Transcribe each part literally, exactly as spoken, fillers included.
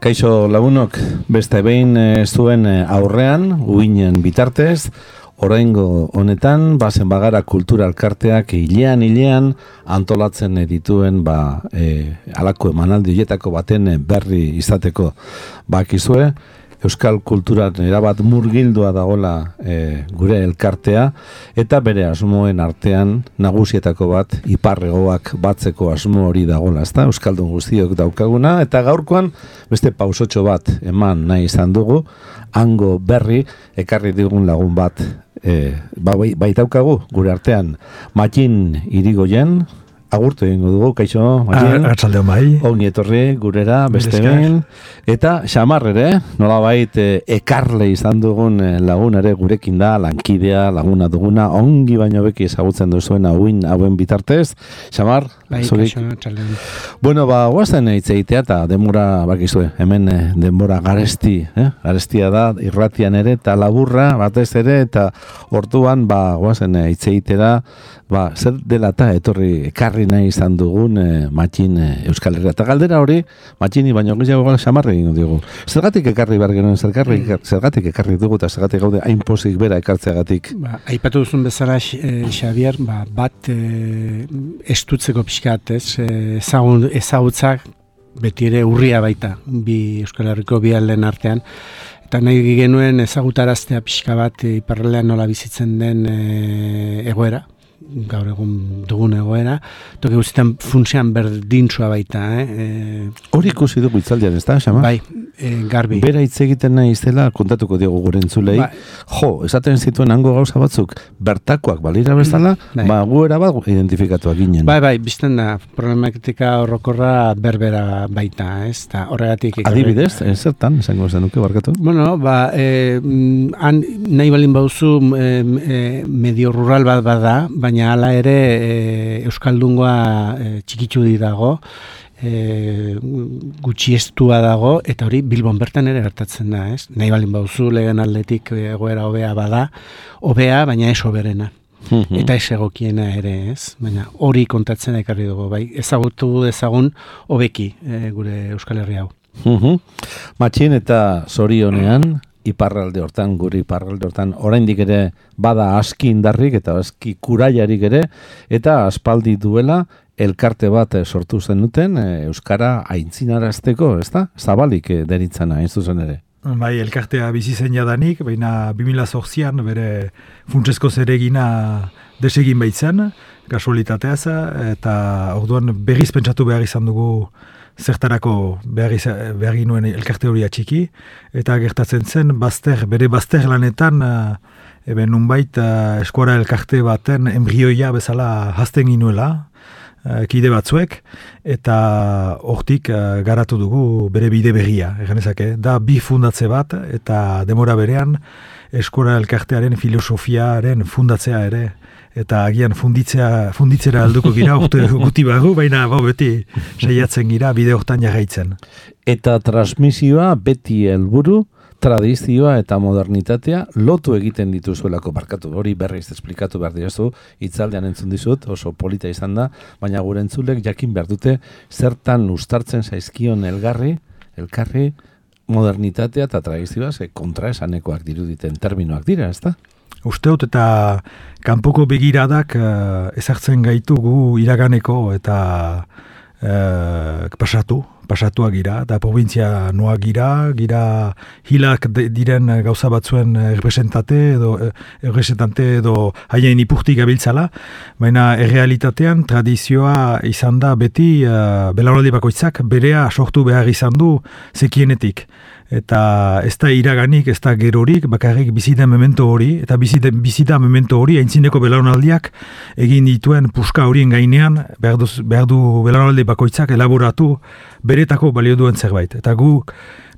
Kaixo lagunok, beste behin e, zuen e, aurrean, uinen bitartez, oraingo honetan, bazen bagara kultura elkarteak hilean hilean antolatzen dituen ba, e, alako emanaldi horietako baten berri izateko bakizue. Euskal kulturan erabat murgildua dagoela e, gure elkartea, eta bere asmoen artean nagusietako bat iparregoak batzeko asmo hori dagoela, ezta? Euskaldun guztiok daukaguna, eta gaurkoan beste pausotxo bat eman nahi izan dugu, hango berri ekarri digun lagun bat e, ba, bai daukagu gure artean, Mattin Irigoyen. Agurtu egingo dugu, kaixo, Mattin. Arratsaldeon bai. Ongi etorri gurera, beste behin. Eta Xamar ere, nolabait e, ekarle izan dugun lagun ere gurekin da, lankidea, laguna duguna, ongi baino beki ezagutzen duzuen hauin hauen bitartez. Xamar, bai, zurik. kaixo, arratsaldeon. Bueno, ba, guazen hitz egitea eta denbora bakizue, hemen eh, denbora garesti, eh? Garestia da, irratian ere, eta laburra, batez ere, eta orduan, ba, guazen hitz egitera, ba, zer dela eta etorri ekarri nahi izan dugun e, Mattin e, Euskal Herria. Eta galdera hori, Mattini baino gehiago Xamarri egingo digu. Zergatik ekarri behar genuen, zergatik, zergatik ekarri dugu eta zergatik gaude hain pozik bera ekartzeagatik. Ba, aipatu duzun bezala, e, Xabier, ba, bat e, estutzeko pixkat, ez, e, ezagun, ezagutzak beti ere urria baita, bi Euskal Herriko bi alden artean. Eta nahi genuen ezagutaraztea pixka bat e, iparraldean nola bizitzen den e, egoera, gaur egun dugun egoera, toki guztietan funtsean berdintsua baita. Eh? Hori ikusi dugu itzaldian, ez da, Xama? Bai, e, garbi. Bera hitz egiten nahi izela kontatuko diogu gure entzulei. Ba, jo, esaten zituen hango gauza batzuk, bertakoak balira bezala, bai. ba, guera bat identifikatuak ginen. Bai, bai, bizten da, problematika horrokorra berbera baita, ez? Ta horregatik... Adibidez, zertan, esango zenuke, barkatu? Bueno, ba, e, han nahi balin bauzu e, e, medio rural bat bada, baina hala ere e, Euskaldungoa e, txikitsu di dago, e, gutxiestua dago, eta hori Bilbon bertan ere gertatzen da, ez? Nahi balin bauzu lehen aldetik egoera hobea bada, hobea, baina ez hoberena. Eta ez egokiena ere, ez? Baina hori kontatzen ekarri dugu, bai? Ezagutu dezagun hobeki e, gure Euskal Herria hau. Mattin eta zorionean, iparralde hortan, guri iparralde hortan, oraindik ere bada aski indarrik eta aski kuraiarik ere, eta aspaldi duela elkarte bat sortu zenuten euskara aintzinarazteko, ezta? Zabalik deritzana, ez zuzen ere. Bai, elkartea bizi zen jadanik, baina bi mila zortzian bere funtsezko zeregina desegin baitzen, kasualitateaz, eta orduan berriz pentsatu behar izan dugu zertarako behar, behar ginuen elkarte hori atxiki, eta gertatzen zen bazter, bere bazter lanetan eben nunbait eskuara elkarte baten embrioia bezala hazten ginuela, kide batzuek, eta hortik garatu dugu bere bide berria, eganezake, da bi fundatze bat, eta demora berean eskuara elkartearen filosofiaren fundatzea ere, eta agian funditzea, funditzera alduko gira, urte guti bagu, baina bau beti saiatzen gira bide hortan jarraitzen. Eta transmisioa beti helburu, tradizioa eta modernitatea lotu egiten dituzuelako, barkatu, hori berriz esplikatu behar dirazu, itzaldean entzun dizut, oso polita izan da, baina gure entzulek jakin behar dute zertan ustartzen zaizkion elgarri, elkarri, modernitatea eta tradizioa, ze kontraesanekoak diruditen terminoak dira, ezta? Usteut eta kanpoko begiradak uh, ezartzen gaitugu iraganeko eta uh, pasatu, pasatuak gira, eta provintzia noa gira, gira hilak diren gauza batzuen errepresentate edo, errepresentante edo haien ipurtik gabiltzala, baina errealitatean tradizioa izan da beti uh, belaunaldi bakoitzak berea sortu behar izan du zekienetik. Eta ez da iraganik, ez da gerorik, bakarrik bizita memento hori, eta bizita, bizita memento hori, aintzineko belaunaldiak egin dituen puska horien gainean, behar du, behar du belaunaldi bakoitzak elaboratu beretako balio duen zerbait. Eta gu,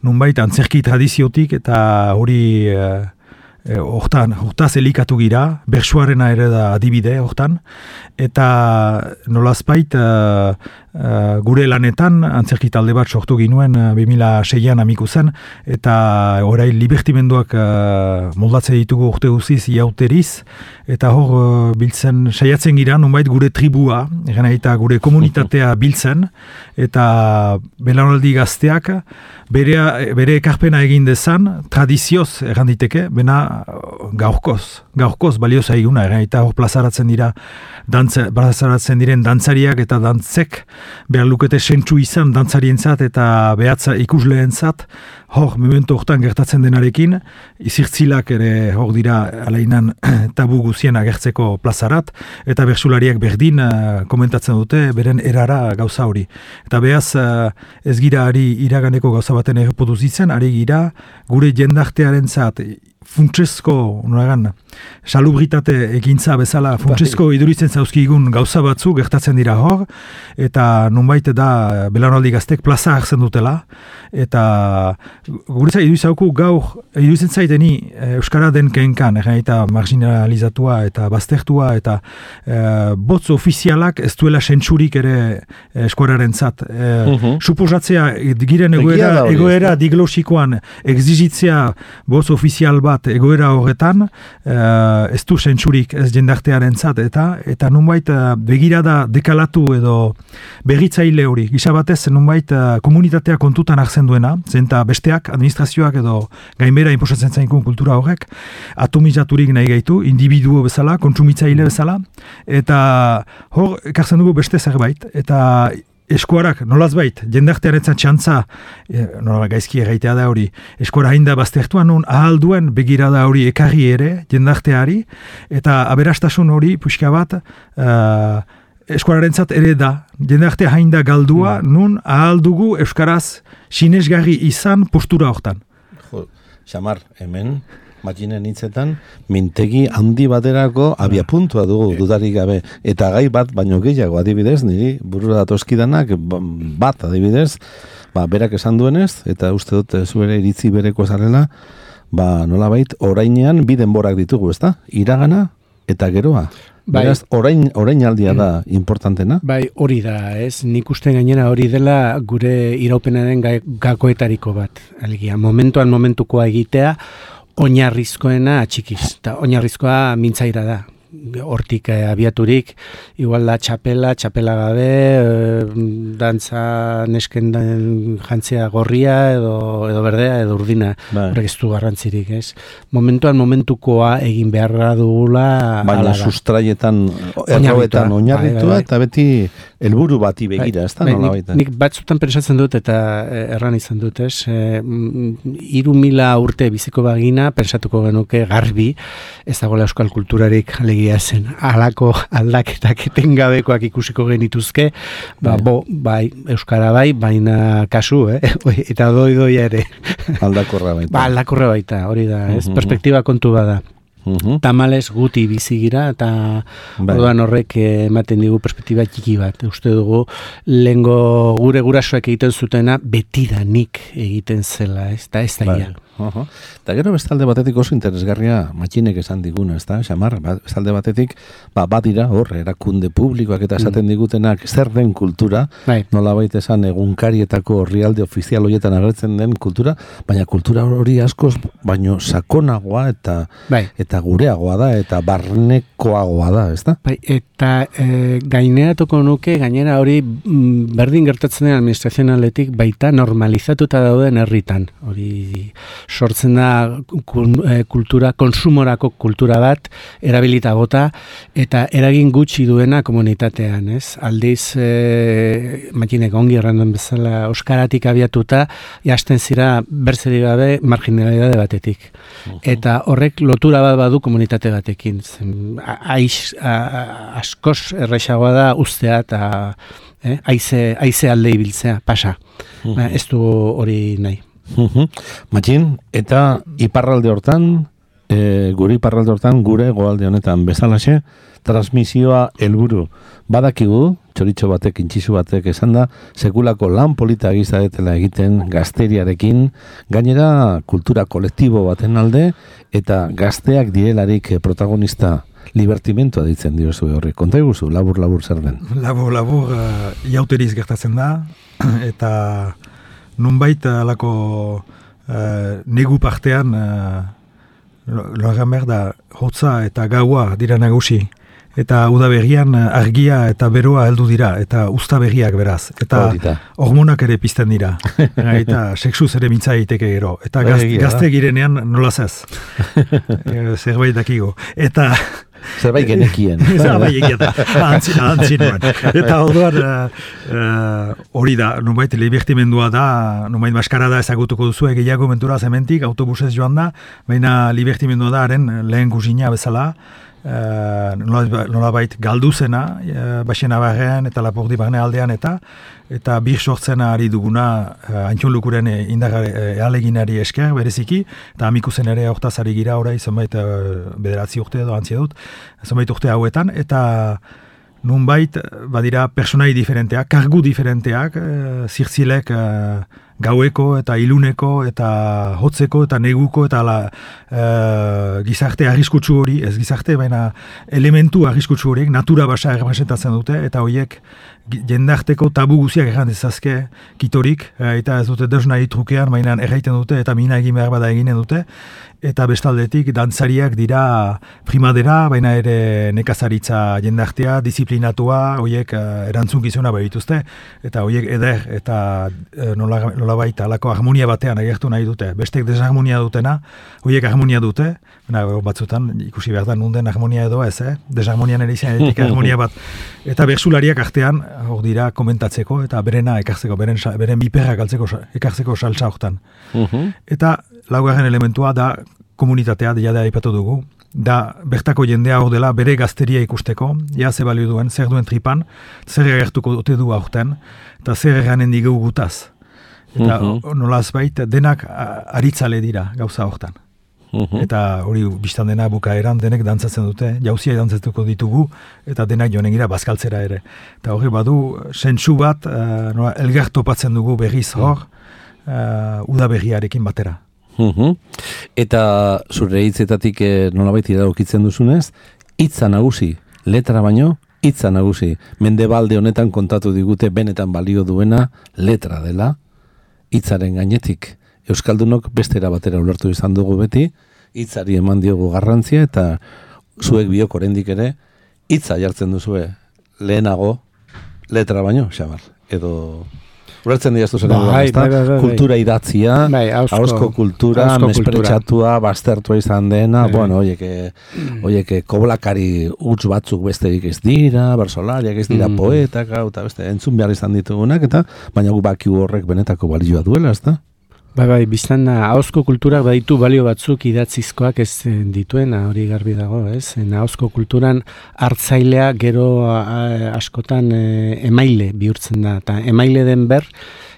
nunbait, antzerki tradiziotik, eta hori eh, hortan, hortaz elikatu gira, bersuarena ere da adibide hortan, eta nolazpait uh, uh, gure lanetan antzerki talde bat sortu ginuen uh, bi mila seian amiku zen, eta orain libertimenduak uh, moldatze ditugu urte guziz iauteriz, eta hor uh, biltzen, saiatzen gira, nonbait gure tribua, egin eta gure komunitatea biltzen, eta belaunaldi gazteak, bere, bere ekarpena egin dezan, tradizioz erranditeke, bena gaurkoz, gaurkoz balio zaiguna, egin eta hor plazaratzen dira, dantza, plazaratzen diren dantzariak eta dantzek, behar lukete sentsu izan dantzarientzat eta behatza ikusleentzat, hor, memento hortan gertatzen denarekin, izirtzilak ere hor dira alainan tabu guzien agertzeko plazarat, eta bertsulariak berdin uh, komentatzen dute beren erara gauza hori. Eta behaz, uh, ez gira ari iraganeko gauza baten erreproduzitzen, ari gira gure jendartearen zat, funtsezko, noragan, salubritate ekintza bezala, funtsezko iduritzen zauzkigun gauza batzu gertatzen dira hor, eta nonbait da belaunaldi gaztek plaza hartzen dutela, eta guretza iduzauku gaur, iduzen zaiteni Euskara den kenkan, eta marginalizatua eta baztertua, eta e, botz ofizialak ez duela sentsurik ere eskuararen zat. E, uh-huh. Suposatzea, giren egoera, egoera diglosikoan exigitzea botz ofizial bat egoera horretan, uh, ez du sentsurik ez jendartearen zat, eta eta nunbait uh, begirada dekalatu edo berritzaile hori, gisa batez nunbait uh, komunitatea kontutan hartzen duena, zenta besteak, administrazioak edo gainbera inposatzen zaikun kultura horrek, atomizaturik nahi gaitu, individuo bezala, kontsumitzaile bezala, eta hor, ekartzen dugu beste zerbait, eta eskuarak, nolaz bait, jendartearetzat txantza, e, nola gaizki egaitea da hori, eskuara hain da baztertuan nun ahal duen begirada hori ekarri ere, jendarteari, eta aberastasun hori, puxka bat, uh, eskuararentzat ere da, jendarte hain da galdua, nun ahal dugu euskaraz sinesgarri izan postura hortan. Jo, Xamar, hemen, Matxinen hitzetan, mintegi handi baterako abiapuntua dugu dudarik gabe. Eta gai bat, baino gehiago adibidez, niri burura datozkidanak bat adibidez, ba, berak esan duenez, eta uste dut zuere iritzi bereko zarela, ba, nolabait, orainean bi denborak ditugu, ezta? Iragana eta geroa. Bai. Beraz, orain, orain aldia da importantena. Bai, hori da, ez? Nik uste gainera hori dela gure iraupenaren gakoetariko bat. Alegia, momentuan momentukoa egitea, oinarrizkoena atxikiz, eta oinarrizkoa mintzaira da. Hortik eh, abiaturik, igual da txapela, txapela gabe, e, dantza nesken jantzia gorria, edo, edo berdea, edo urdina, horrek ez du garrantzirik, ez? Momentuan momentukoa egin beharra dugula... Baina sustraietan, erroetan oinarritua, bai, bai, bai. Eta beti helburu bati begira, ez da? Bai, nik, nik batzutan pensatzen dut, eta erran izan dut, ez? E, iru mila urte biziko bagina, pensatuko genuke garbi, ez dagoela euskal kulturarik zen, halako aldaketak etengabekoak ikusiko genituzke, ba, bo, bai, euskara bai, baina kasu, eh? Eta doi doi ere. Aldakorra baita. Ba, aldakorra baita, hori da, ez? Uh-huh. Perspektiba kontu bada. Uh-huh. Tamales guti bizi gira, eta bai. Orduan horrek ematen digu perspektiba txiki bat. Uste dugu, lehengo gure gurasoak egiten zutena, betidanik egiten zela, ez da ez da bai. Uh-huh. Eta gero bestalde batetik oso interesgarria Matxinek esan diguna, ez da, Xamar, bestalde batetik, ba, bat dira, hor, erakunde publikoak eta esaten mm. digutenak zer den kultura, bai. Nolabait esan egunkarietako orrialde ofizial horietan agertzen den kultura, baina kultura hori askoz, baino sakonagoa eta bai. Eta gureagoa da, eta barnekoagoa da, ez da? Bai, eta e, gaineratuko nuke, gainera hori m, berdin gertatzen den administrazionaletik baita normalizatuta dauden herritan, hori sortzen da kultura, konsumorako kultura bat, erabilita bota, eta eragin gutxi duena komunitatean, ez? Aldiz, e, Matxinek ongi erranduen bezala, euskaratik abiatuta, jasten zira berzeri gabe marginalidade batetik. Uh-huh. Eta horrek lotura bat badu komunitate batekin. Aiz, a, askoz errexagoa da ustea eta eh, aize, aize alde ibiltzea, pasa. Uh-huh. Ez du hori nahi. Uh-huh. Matxin, eta iparralde hortan, e, gure iparralde hortan, gure goalde honetan bezalaxe, transmisioa helburu. Badakigu, txoritxo batek, intxizu batek esan da, sekulako lan polita egizadetela egiten gazteriarekin, gainera kultura kolektibo baten alde, eta gazteak direlarik protagonista libertimentua ditzen diozu horri. Konta eguzu, labur-labur zer den? Labur-labur uh, iauteriz gertatzen da, eta nunbait alako uh, negu partean uh, logan behar da, hotza eta gaua dira nagusi. Eta udaberrian argia eta beroa heldu dira, eta uztaberriak beraz. Eta hormonak ere pizten dira. Eta sexuz ere mintza egiteke gero. Eta gaz, gazte girenean nolaz ez. Zerbait dakigo. Eta... Zerbait genekien. Zerbait egiata. Antzinoan. Eta orduan hori da, nubait libertimendua da, nubait maskarada ezagutuko duzu gehiago mentura zementik, autobusez joan da, baina libertimendua da haren lehen guzina bezala, Uh, nolabait galduzena uh, Baxena barrean eta Lapurdi barne aldean eta eta bir sortzena ari duguna uh, Antxon Lukuren indar ealeginari esker bereziki eta amikuzen ere hortaz ari gira orai zenbait uh, bederatzi urte edo antzia dut zenbait urte hauetan eta nunbait badira personai diferenteak, kargu diferenteak uh, zirtzilek uh, gaueko eta iluneko eta hotzeko eta neguko eta la, e, gizarte arriskutsu hori, ez gizarte, baina elementu arriskutsu horiek natura basa errepresentatzen dute eta horiek jendarteko tabu guziak erran dezazke kitorik eta ez dute deus nahi trukean, baina erraiten dute eta mina egin behar bada eginen dute eta bestaldetik dantzariak dira primadera, baina ere nekazaritza jendartea, disiplinatua, horiek erantzunkizuna behituzte eta horiek eder eta nola, nola baita alako harmonia batean agertu nahi dute. Bestek desharmonia dutena, horiek harmonia dute, baina batzutan ikusi behar da nunden harmonia edo ez, eh? Desharmonian ere izan edik harmonia bat. Eta bersulariak artean, hor dira komentatzeko eta berena ekartzeko, beren, beren biperrak altzeko, ekartzeko saltza hortan. Eta laugarren elementua da komunitatea, jada aipatu dugu, da bertako jendea hor dela bere gazteria ikusteko, ja ze balio duen, zer duen tripan, zer agertuko dute du aurten, eta zer erranen digu gutaz. Eta uh-huh. nolaz bait, denak aritzale dira gauza hortan. Uh-huh. Eta hori biztan dena bukaeran denek dantzatzen dute, jauzia dantzatuko ditugu, eta denak joanen gira bazkaltzera ere. Eta hori badu, sentsu bat, uh, nola, elgar topatzen dugu berriz hor, uh, udaberriarekin batera. Uh-huh. Eta zure hitzetatik eh, nolabait iradokitzen duzunez, hitza nagusi, letra baino, hitza nagusi. Mendebalde honetan kontatu digute benetan balio duena letra dela, hitzaren gainetik. Euskaldunok bestera batera ulertu izan dugu beti, hitzari eman diogu garrantzia eta zuek biok oraindik ere hitza jartzen duzue lehenago letra baino, Xabar. Edo ulertzen diaztu zen edo, ezta? Kultura idatzia, ahozko kultura, mespretxatua, baztertua izan dena, bai. Bueno, oieke, oieke koblakari huts batzuk besterik ez dira, bersolariak ez dira mm. poetak, eta beste, entzun behar izan ditugunak, eta baina gu bakiu horrek benetako balioa duela, ezta? Bai, bai, biztan ahozko kulturak baditu balio batzuk idatzizkoak ez dituena, hori garbi dago, ez? Ahozko kulturan hartzailea gero a, askotan e, emaile bihurtzen da, eta emaile den ber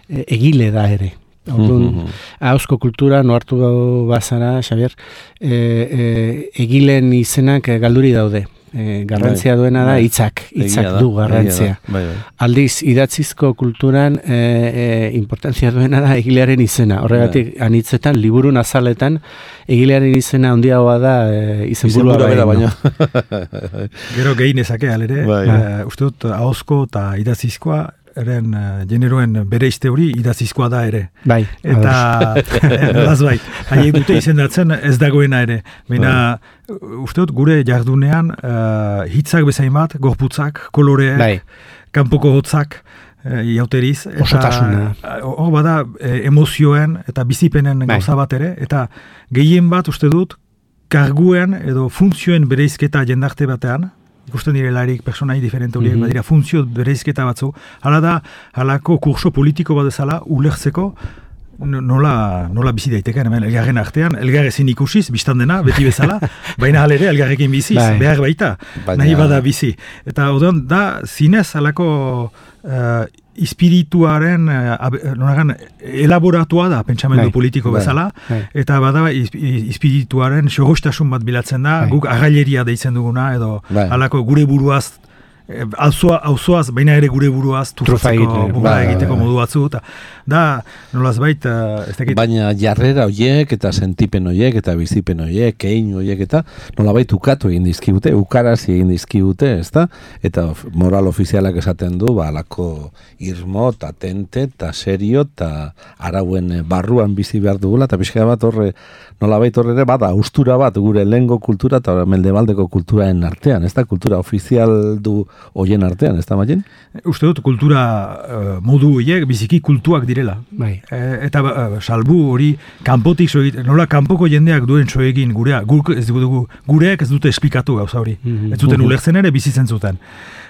e, egile da ere. Orduan, ahozko kultura noartu bazara, Xabier, e, e, egileen izenak galduri daude. E, garrantzia duena da hitzak, hitzak du garrantzia. Bai, bai. Aldiz, idatzizko kulturan e, e, importantzia duena da egilearen izena. Horregatik, bai. Anitzetan, liburun azaletan, egilearen izena handiagoa da e, izenburua bera baina. Gero gehinezake, alere, bai. uh, uste dut, ahozko eta idatzizkoa, eren uh, generoen bere izte hori idatzizkoa da ere. Bai. Eta, las bai, haiek dute izendatzen ez dagoena ere. Baina, bai. Uste dut, gure jardunean uh, hitzak bezain bat, gorputzak, koloreek, bai. Kanpoko hotzak, uh, jauteriz. Osotasuna. Hor bada, e, emozioen eta bizipenen bai. Gauza bat ere, eta gehien bat, uste dut, karguen edo funtzioen bereizketa jendarte batean, ikusten direlarik personai diferente horiek, mm-hmm. badira funtzio bereizketa batzu, hala da, halako kurso politiko bat ezala, ulertzeko, nola, nola bizi daiteken, hemen elgarren artean, elgar ezin ikusiz, biztan dena, beti bezala, baina halere elgarrekin biziz, bai. Behar baita, baina... nahi bada bizi. Eta odon, da, zinez, halako uh, espirituaren uh, elaboratua da pentsamendu bai. Politiko bai. Bezala, bai. Eta bada espirituaren xorostasun bat bilatzen da, bai. Guk agaileria deitzen duguna, edo bai. Halako gure buruaz auzoaz, baina ere gure buruaz turfatzeko buga egiteko modu batzu, eta da, nolaz bait, ez dakit. Baina jarrera hoiek, eta sentipen hoiek, eta bizipen hoiek, kein hoiek, eta nolabait ukatu egin dizkigute, ukarazi egin dizkigute, ezta? Eta moral ofizialak esaten du, ba, alako irmo, eta tente, eta serio, eta arauen barruan bizi behar dugula, eta pixka bat horre, nolabait horre ere, bada, austura bat, gure lehengo kultura, eta mendebaldeko kulturaen artean, ez da, kultura ofizial du hoien artean, ez da, Maien? Uste dut, kultura uh, modu horiek biziki kultuak direla. Bai. E, eta uh, salbu hori kanpotik soegit, nola kanpoko jendeak duen soegin gurea, guk ez dugu, gureak ez dute esplikatu gauza hori. Mm-hmm. Ez zuten ulertzen ere bizitzen zuten.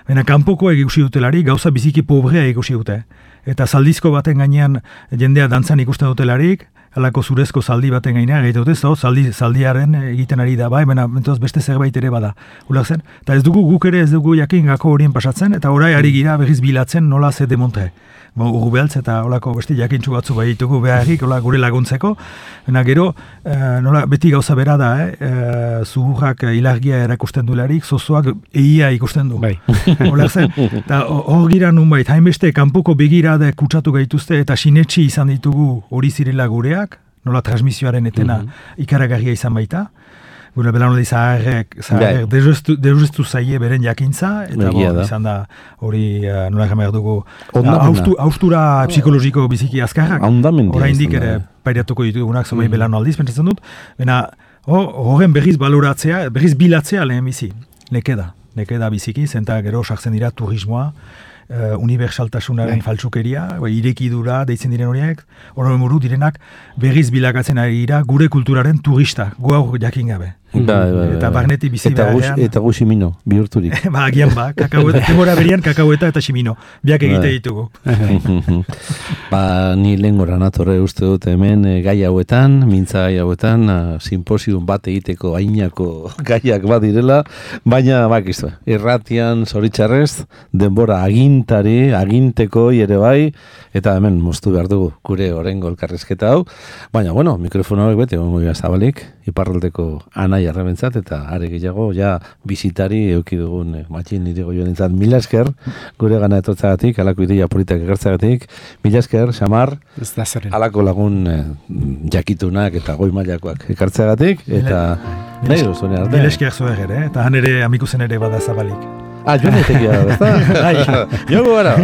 Baina kanpokoa ikusi dutelari gauza biziki pobrea ikusi dute. Eta zaldizko baten gainean jendea dantzan ikusten dutelarik, halako zurezko zaldi baten gainean egite dute, zo, zaldi, zaldiaren egiten ari da, bai, baina mentoz beste zerbait ere bada. Ulertzen? Eta ez dugu guk ere ez dugu jakin gako horien pasatzen, eta orai ari gira berriz bilatzen nola ze demontre. Bo, Urrubeltz eta olako beste jakintxu batzu bai ditugu beharrik, ola gure laguntzeko. Baina gero, e, nola, beti gauza bera da, eh? E, zuhurrak ilargia erakusten duelarik, zozoak eia ikusten du. Bai. Olertzen? Eta hor gira nunbait, hainbeste kanpoko begirade kutsatu gaituzte eta sinetxi izan ditugu hori zirela gureak, nola transmisioaren etena mm-hmm. ikaragarria izan baita. Gure belanoldi zaharrek, zaharrek deuztu zaie beren jakintza, eta bo, izan da hori uh, nola jamar dugu austura austu, psikologiko biziki azkarrak. Horain dik ere pairatuko ditugunak zomai mm. belanoldiz, pentsatzen dut. Bena, horren berriz baloratzea, berriz bilatzea lehen bizi. Nekeda, nekeda biziki, zenta gero sartzen dira turismoa, Uh, unibertsaltasunaren yeah. faltsukeria, irekidura deitzen diren horiek, horren buru direnak berriz bilakatzen ari dira gure kulturaren turista, guau jakin gabe. Ba, ba, eta barneti bizi eta beharrean. Eta gu simino, bihurturik. Ba, agian ba, kakaueta, temora berian kakaueta eta simino, biak egite ditugu. Ba, ni lehen gora natorre uste dut hemen gai hauetan, mintza gai hauetan, simposium bat egiteko ainako gaiak badirela, baina bakizu, irratian zoritxarrez, denbora agintari, aginteko ere bai, eta hemen moztu behar dugu gure orengo elkarrezketa hau, baina, bueno, mikrofonoak bete, ongo zabalik, iparraldeko anai arrebentzat, eta are gehiago, ja, bizitari euki dugun, eh, matxin nire goioen entzat, mila esker, gure gana etortzagatik, alako ideia politak egertzagatik, mila esker, Xamar, alako lagun eh, jakitunak eta goi mailakoak ekartzagatik, eta nahi duzune arte. Mila esker zuek ere, eta han ere amikusen ere bada zabalik. Ah, joan etekia, ezta? Joan gara.